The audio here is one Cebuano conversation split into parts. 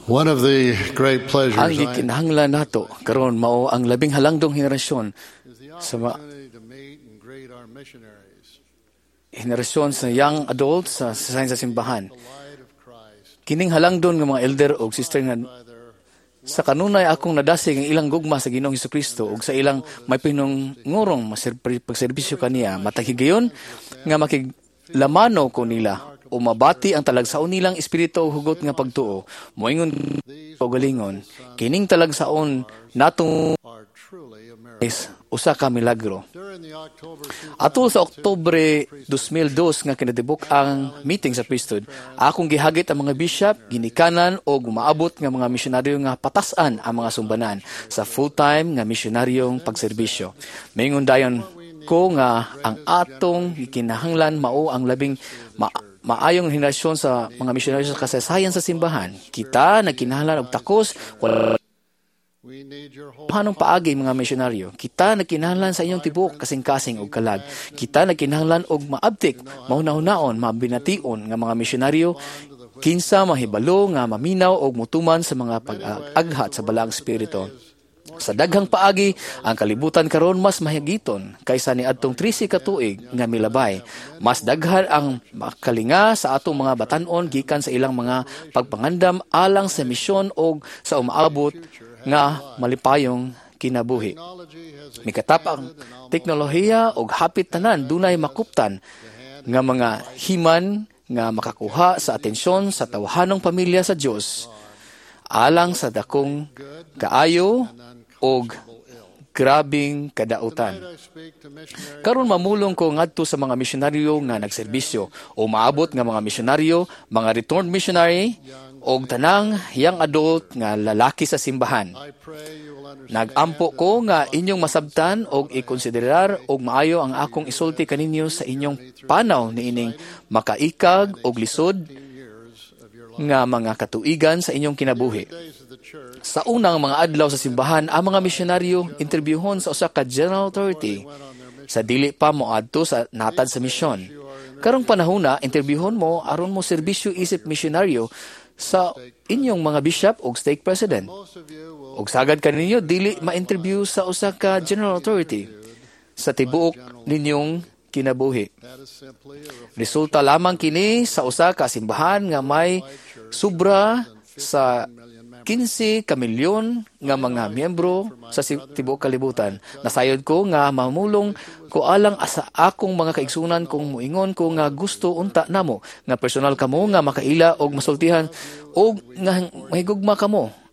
One of the great pleasures Ang I gikinahanglan nato karon mao ang labing halangdong henerasyon is the sa opportunity to meet and greet our missionaries, henerasyon sa young adults sa simbahan. the light of Christ Kining halangdon nga mga elder og sister nga by their sa kanunay akong nadasig ang ilang gugma sa Ginoong Hesukristo ug sa ilang may pinungurong pagserbisyo kaniya, matag higayon nga makiglamano ko nila o mabati ang talagsaon nilang espiritu ug hugot nga pagtuo, moingon o galingon kining talagsaon natong are truly a miracle. is usa ka milagro. During the October Atol sa Oktubre 2002 nga kinatibuk ang meeting sa priesthood, akong gihagit ang mga bishop, ginikanan o gumaabot nga mga misyonaryo nga patas-an ang mga sumbanan sa full-time nga misyonaryong pagserbisyo. Maingon dayon ko nga ang atong gikinahanglan mao ang labing maayong henerasyon sa mga misyonaryo sa kasaysayan sa simbahan. Kita nagkinahanglan og takos, wala we need your whole hanong paagi, mga misyonaryo. Kita nagkinahanglan sa inyong tibuok kasing-kasing og kalag. Kita nagkinahanglan og maabtik, mahuna-hunaon, mabination nga mga misyonaryo kinsa mahibalo nga maminaw og mutuman sa mga pag-aghat sa Balaang Espiritu. Sa daghang paagi, ang kalibutan karon mas mahigiton kaysa niadtong 13 ka tuig nga milabay. Mas daghan ang makalinga sa atong mga batan-on gikan sa ilang mga pagpangandam alang sa misyon og sa umaabot nga malipayong kinabuhi. Technology has Mikatap ang teknolohiya og hapit tanan dunay makuptan nga mga himan nga makakuha sa atensyon sa tawhanong pamilya sa Dios alang sa dakong kaayo og grabing kadautan. I speak to missionaries Karon mamulong ko ngadto sa mga misyonaryo nga nagserbisyo o maabot nga mga misyonaryo, mga returned missionary og tanang young adult nga lalaki sa simbahan. I pray you will understand Nagampo ko nga inyong masabtan og ikonsiderar og maayo ang akong isulti kaninyo sa inyong panaw niining makaikag og lisod years of your life. nga mga katuigan sa inyong kinabuhi. Days of the church Sa unang mga adlaw sa simbahan, ang mga misyonaryo interbyuhon sa usa ka general authority sa dili pa moadto sa natad sa misyon. Karong panahona, interbyuhon mo aron mo serbisyo isip misyonaryo sa inyong mga bishop og stake president. Most of you will Og sagad kaninyo dili ma-interview sa usa ka general authority sa tibuok ninyong kinabuhi. That is simply a reflection Resulta lamang kini sa usa ka simbahan nga may sobra sa 15 ka milyon nga mga miyembro sa tibuok kalibutan. Nasayod ko nga mamulong ko alang sa akong mga kaigsunan kung muingon ko nga gusto unta namo nga personal kamo nga makaila og masultihan og nga mahigugma kamo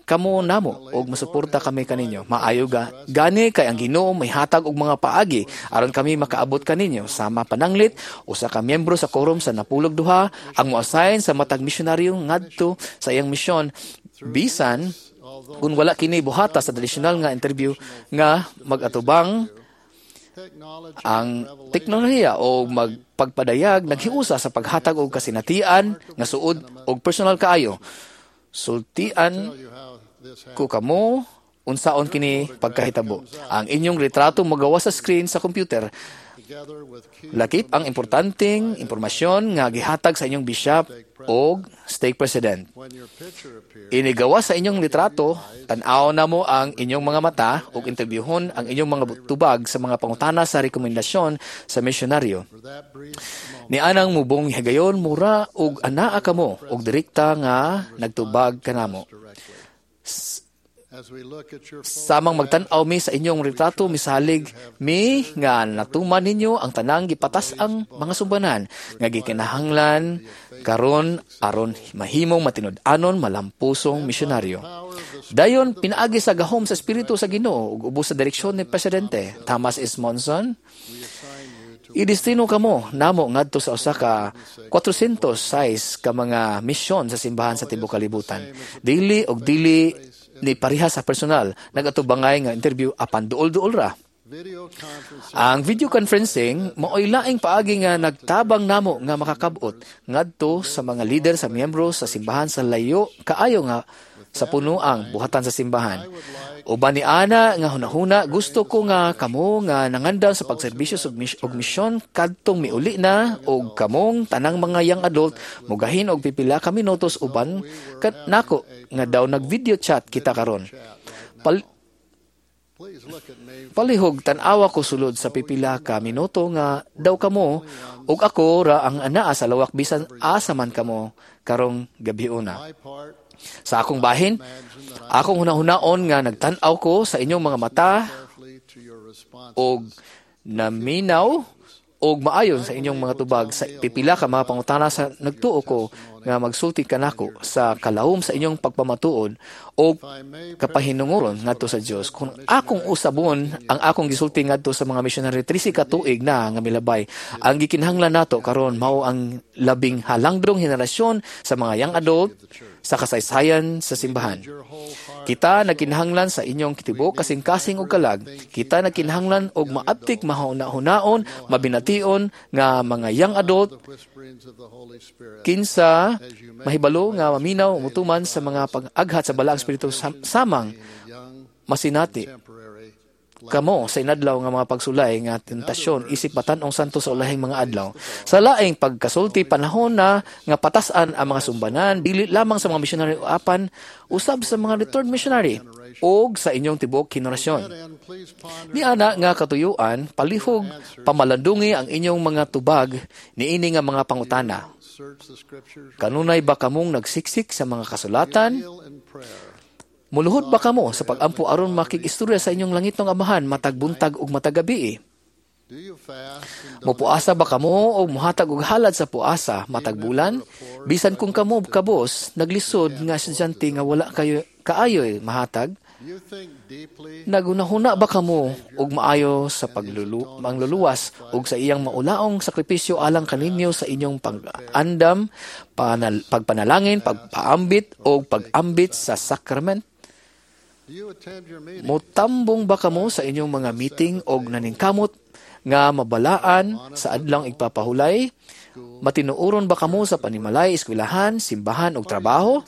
kamo namo og masuporta kami kaninyo. Maayo ga gani kay ang Ginoo may hatag og mga paagi aron kami makaabot kaninyo. Sama pananglit, usa ka miyembro sa quorum sa napulog duha ang moassign sa matag misyonaryo ngadto sa iyang misyon bisan kung wala kini buhata sa tradisyonal nga interview nga mag-atubang. Technology Ang teknolohiya o magpagpadayag naghiusa sa paghatag og kasinatian nga suod og personal kaayo. Sultian tell you how this happened. ko kamo unsaon kini pagkahitabo. Ang inyong retrato magawa sa screen sa computer. Together with key Lakip ang importanteng impormasyon nga gihatag sa inyong bishop og stake president. When your picture appears, Inigawa sa inyong litrato, tan-aw na mo ang inyong mga mata ug interbyuhon ang inyong mga tubag sa mga pangutana sa rekomendasyon sa misyonaryo. For that brief moment, Nianang mubong higayon, mura og anaa kamo og direkta nga nagtubag kanamo. Directly. As we look at your Samang magtan-aw mi sa inyong retrato, misalig mi nga natuman ninyo ang tanang gipatas ang mga sumbanan nga gikinahanglan karon aron mahimong matinud-anon malampusong misyonaryo. Dayon pinaagi sa gahom sa Espiritu sa Ginoo ug ubos sa direksyon ni Presidente Thomas S. Monson, we assign you to idestino kamo namo ngadto sa usa ka 400 size ka mga misyon sa simbahan sa tibuok kalibutan. Dili og dili ni pareha sa personal nagatubangay nga interview, apan duol-duol ra. Video conferencing Ang video conferencing maoy laing paagi nga nagtabang namo nga makakabot ngadto sa mga lider sa miyembro sa simbahan sa layo kaayo nga sa puno ang buhatan sa simbahan. Uban ni ana nga hunahuna, gusto ko nga kamo nga nangandam sa pagserbisyo og misyon kadtong miuli na og kamong tanang mga young adult mugahin og pipila ka minutos uban nako nga daw nag-video chat kita karon. Palihog tan-awa ko sulod sa pipila ka minuto nga daw kamo ug ako ra ang anaa sa lawak bisan asa man kamo karong gabiuna. Sa akong bahin, akong hunahunaon nga nagtan-aw ko sa inyong mga mata og naminaw og maayon sa inyong mga tubag sa pipila ka mga pangutana sa nagtuo ko nga magsulti kanako sa kalawom sa inyong pagpamatuod og kapahinunguron ngadto sa Dios. Kung akong usabon ang akong gisulti ngadto sa mga missionary 13 ka tuig na nga milabay, ang gikinahanglan nato karon mao ang labing halangdong henerasyon sa mga young adult sa kasaysayan sa simbahan. Kita nagkinahanglan sa inyong tibuok kasing-kasing og kalag. Kita nagkinahanglan og maabtik, mahuna-hunaon, mabination nga mga young adult kinsa mahibalo nga maminaw mutuman sa mga pag-aghat sa Balaang Espiritu samang masinati kamo sa inadlaw nga mga pagsulay nga tentasyon isip batan-ong santo sa ulahing mga adlaw. Sa laing pagkasulti, panahon na nga patasan ang mga sumbanan dili lamang sa mga missionary apan usab sa mga returned missionary og sa inyong tibuok henerasyon. Niana nga katuyuan, palihog pamalandungi ang inyong mga tubag niini nga mga pangutana. Kanunay ba kamong nagsiksik sa mga kasulatan? Muluhod ba kamo sa pag-ampo aron makig-istorya sa inyong langitnong Amahan matag buntag ug matag gabi? Mupuasa ba kamo o muhatag og halad sa puasa matag bulan? Bisan kung kamo kabos naglisod nga estudyante nga wala kayo kaayoy mahatag? Nagunahuna ba kamo og maayo sa pangluluwas og sa iyang maulaong sakripisyo alang kaninyo sa inyong pag-andam, pagpanalangin, pagpaambit o pag-ambit sa sakrament? Mutambong ba kamo sa inyong mga meeting og naningkamot nga mabalaan sa adlang igpapahulay? Matinuoron ba kamo sa panimalay, eskwelahan, simbahan og trabaho?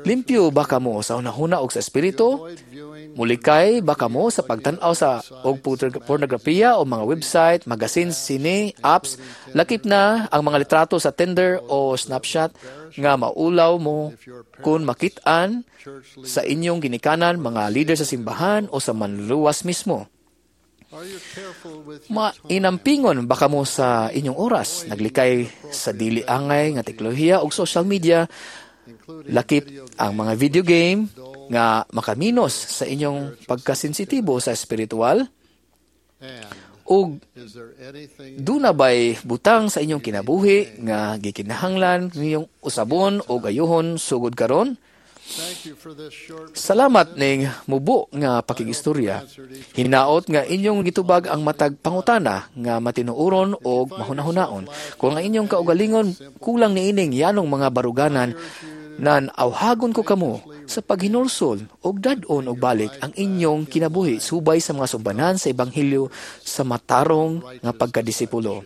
Limpyo ba kamo sa hunahuna og sa espiritu? Mulikay ba kamo sa pagtan-aw sa og pornografiya o mga website, magazines, sine, apps, lakip na ang mga litrato sa Tinder o Snapchat nga maulaw mo kung makit-an sa inyong ginikanan, mga leader sa simbahan o sa manluluwas mismo? Mainampingon ba kamo sa inyong oras? Naglikay sa dili angay nga teknolohiya o social media, lakip ang mga video game nga makaminos sa inyong pagkasensitibo sa espiritual? Ug duna bay butang sa inyong kinabuhi nga gikinahanglan ninyong usabon o gayuhon sugod karon? Salamat ning mubo nga pakigistorya. Hinaot nga inyong gitubag ang matag pangutana nga matinuoron og mahunahunaon. Kung ang inyong kaugalingon kulang niining yanong mga baruganan, nan awhagon ko kamo sa paghinulsol og dad-on og balik ang inyong kinabuhi subay sa mga sumbanan sa ebanghelyo sa matarong nga pagkadisipulo.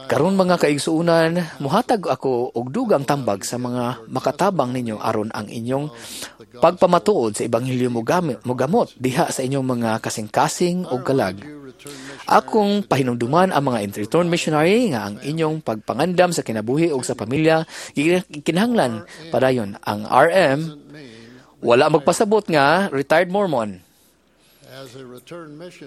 Karon mga kaigsuonan, muhatag ako og dugang tambag sa mga makatabang ninyo aron ang inyong pagpamatuod sa ebanghelyo mogamot diha sa inyong mga kasing-kasing og kalag. Akong pahinumduman ang mga return missionary nga ang inyong pagpangandam sa kinabuhi og sa pamilya kinahanglan padayon. Ang RM wala magpasabot nga retired Mormon.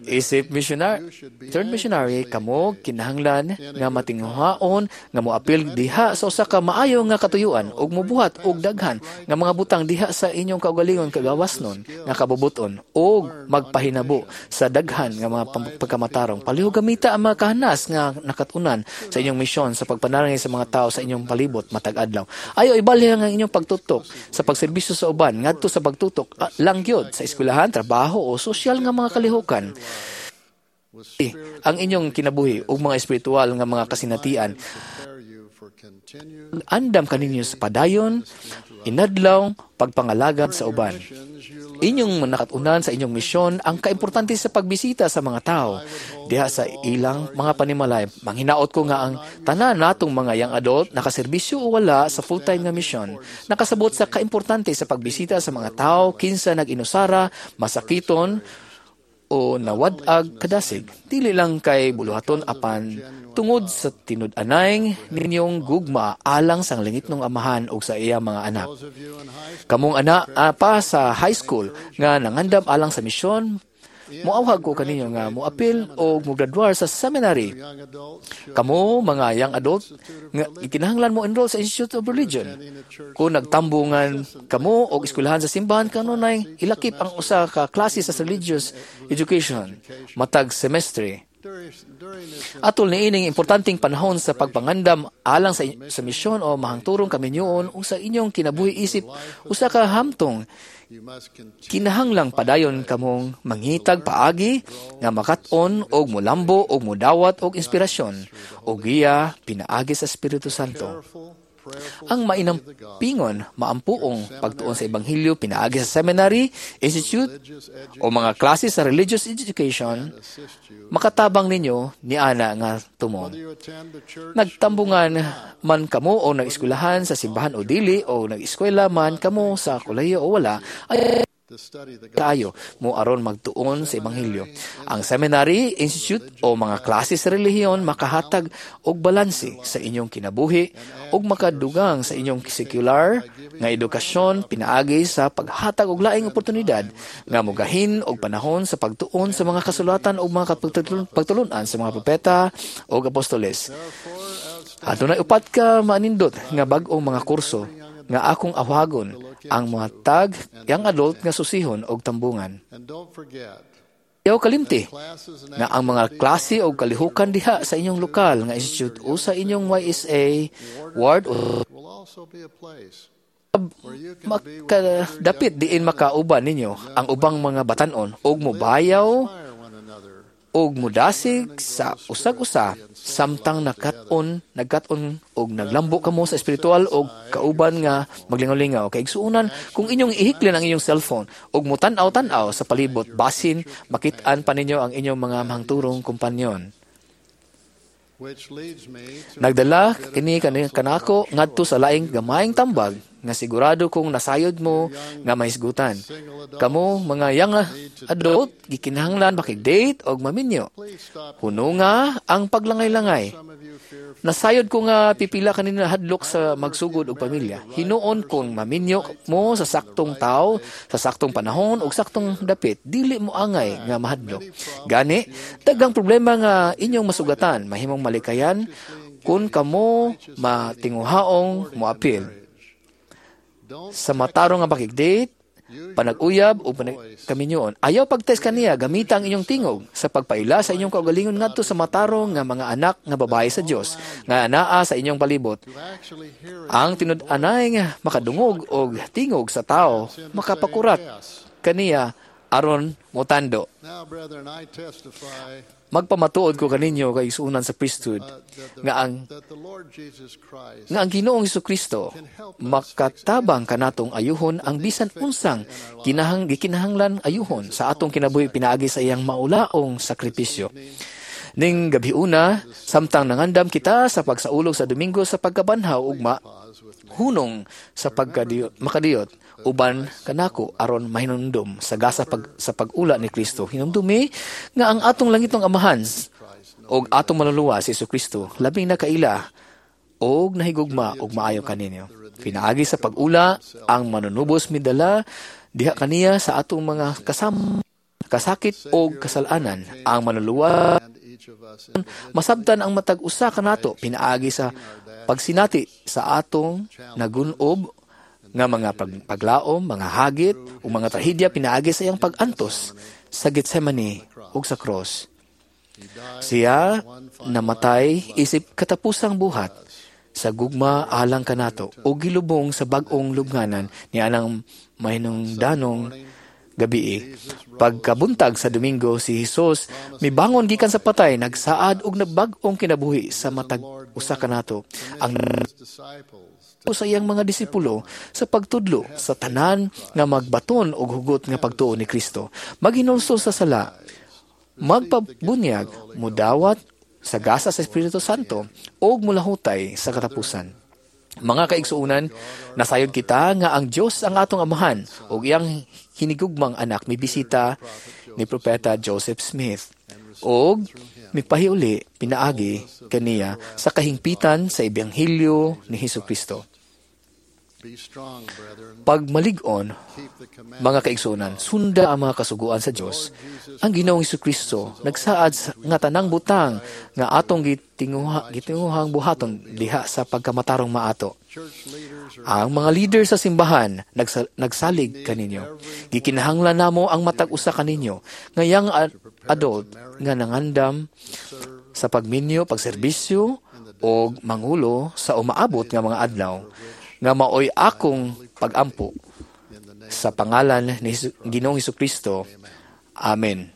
Isip missionary, return missionary kamo kinahanglan nga matinguhaon nga moapil diha sa usa ka maayo nga katuyuan ug mobuhat og daghan nga mga butang diha sa inyong kaugalingon kagawasnon nga kabubuton ug magpahinabo sa daghan nga mga pagkamatarong. Palihog gamita ang mga kahanas nga nakatunan sa inyong misyon sa pagpanalangin sa mga tao sa inyong palibot matag adlaw. Ayo ibalhin ang inyong pagtutok sa pagserbisyo sa uban ngadto sa pagtutok lang gyud sa eskwelahan, trabaho o sosyal nga mga kalihukan. Ang inyong kinabuhi ug mga espiritual nga mga kasinatian. continued andam kaninyo sa padayon, inadlaw, pagpangalagad sa uban. missions you Inyong nakatunan sa inyong misyon ang kaimportante sa pagbisita sa mga tao diha sa ilang mga panimalay. Manghinaot ko nga ang tanan natong mga young adult nakaserbisyo o wala sa full-time nga misyon, nakasabot sa kaimportante sa pagbisita sa mga tao kinsa nag-inusara, masakiton o nawad-ag kadasig. Dili lang kay buluhaton apan tungod sa tinud-anay ninyong gugma alang sang langitnong Amahan ug sa iya mga anak. Those of you in high school Kamong ana pa sa high school nga nangandam alang sa misyon, moawhag ko kaninyo nga moapil o mograduar sa seminary. young adults should Kamo mga young adult nga ikinahanglan mo enroll sa Institute of Religion. Kung nagtambungan kamo og eskwelahan sa simbahan, kanunay ilakip ang usa ka klase sa religious education matag semestre. during this Atol niining importanteng panahon sa pagpangandam alang sa misyon o mahangturong kaminyoon ug sa inyong kinabuhi isip usa ka hamtong, you must continue kinahanglang padayon kamong mangitag paagi nga makat-on og mulambo og mudawat og inspirasyon o giya pinaagi sa Espiritu Santo. careful, prayerful Ang mainampingon maampuong pagtuon sa ebanghelyo pinaagi sa seminary, institute religious o mga klase sa religious education assist you makatabang ninyo ni ana nga tumong. whether you attend the church Nagtambungan man kamo o nag-eskwelahan sa simbahan o dili o nag-eskwela man kamo sa kolehiyo o wala, ay to study the kaayo mo aron magtuon sa ebanghelyo. Ang seminary, institute o mga klase sa relihiyon makahatag og balanse sa inyong kinabuhi ug makadugang sa inyong secular nga edukasyon pinaagi sa paghatag og laing oportunidad nga mogahin og panahon sa pagtuon sa mga kasulatan ug mga pagtulun-an sa mga propeta ug apostoles. Adunay upat ka manindot nga bag-ong mga kurso nga akong awhagon ang mga tag young adult nga susihon og tambungan. And don't forget Ayaw kalimti classes and nga ang mga klase o kalihukan diha sa inyong lokal nga institute o sa inyong YSA ward o will also be a place where you can be with makadapit diin makauban ninyo ang ubang mga batan-on og mobayaw inspire one another og mudasig sa usag-usa samtang nagkat-on og naglambo kamo sa espiritual og kauban nga maglingaw-lingaw. Kay igsuonan, kung inyong ihiklin ang inyong cellphone og mutan-aw-tan-aw sa palibot, basin makit-an pa ninyo ang inyong mga mahangturong kompanyon. which leads me to Nagdala kini kanako ngadto sa laing gamayng tambag nga sigurado kong nasayod mo nga mahisgutan. Kamo mga young adult gikinahanglan makig-date og maminyo. please stop Hununga ang paglangay-langay. some of you fear Nasayod ko nga pipila kanina hadlok sa magsugod og pamilya. Hinuon kung maminyo mo sa saktong tao, sa saktong panahon ug saktong dapit, dili mo angay nga mahadlok. Gani, daghang problema nga inyong masugatan, mahimong malikayan kung kamo matinguhaong moapil. don't Sa matarong nga pakig-date, panag-uyab o panagkaminyoon. Ayaw pag-text kaniya, gamita ang inyong tingog sa pagpaila sa inyong kaugalingon ngadto sa matarong nga mga anak nga babae sa Dios nga anaa sa inyong palibot. to actually hear Ang tinud-anay nga makadungog og tingog sa tao makapakurat kaniya aron motando. Now, brethren, I testify Magpamatuod ko kaninyo kay isuunan sa priesthood that the, nga ang that the Lord Jesus Christ nga ang Ginoong Kristo makatabang kanatong ayuhon ang bisan unsang gikinahanglan ayuhon sa atong kinabuhi pinaagi sa iyang maulaong sakripisyo. Ning gabiuna, samtang nangandam kita sa pagsaulog sa Domingo sa pagkabanhaw ugma, hunong sa pagkadiyot, makadiyot uban kanako aron mahinumdum sa gasa sa pag-ula ni Kristo. Hinumdumi nga ang atong langitong Amahan og atong manluluwas si Kristo labing nakaila og nahigugma og maayo kaninyo. Pinaagi sa pag-ula ang manunubos midala diha kaniya sa atong mga kasama kasakit og kasalanan. Ang manluluwas and each of us masabtan ang matag usa kanato pinaagi sa pagsinati sa atong nagunob nga mga paglaom, mga hagit ug mga trahedya pinaagi sa iyang pag-antos sa Getsemane ug sa cross. Siya namatay isip katapusang buhat sa gugma alang kanato ug gilubong sa bag-ong lubnganan ni anang mahinungdanong gabii. Pagkabuntag sa Domingo, si Hesus mibangon gikan sa patay, nagsaad og nagbag-ong kinabuhi sa matag usa kanato. Ang His disciples sa iyang mga disipulo sa pagtudlo sa tanan nga magbaton og hugot nga pagtuo ni Kristo, maghinulsol sa sala, magpabunyag, mudawat sa gasa sa Espiritu Santo ug mulahutay sa katapusan. Mga kaigsuonan, nasayod kita nga ang Dios ang atong Amahan ug iyang hinigugmang anak mibisita ni Propeta Joseph Smith ug mipahiuli pinaagi kaniya sa kahingpitan sa Ebanghelyo ni Hesukristo. Be strong, brethren. Pagmalig-on, Keep the commandments. mga kaigsuonan, sunda ang mga kasuguan sa Dios. Ang Ginoong Kristo nagsaad nga tanang butang nga atong gitinguhang buhaton diha sa pagkamatarong maato. Church leaders are Ang mga leader sa simbahan nagsalig kaninyo. Gikinahanglan namo ang matag usa kaninyo nga young adult nga nangandam sa pagminyo, pagserbisyo og mangulo sa umaabot nga mga adlaw nga maoy akong pagampo in the name sa pangalan ni Ginoong Kristo. Amen.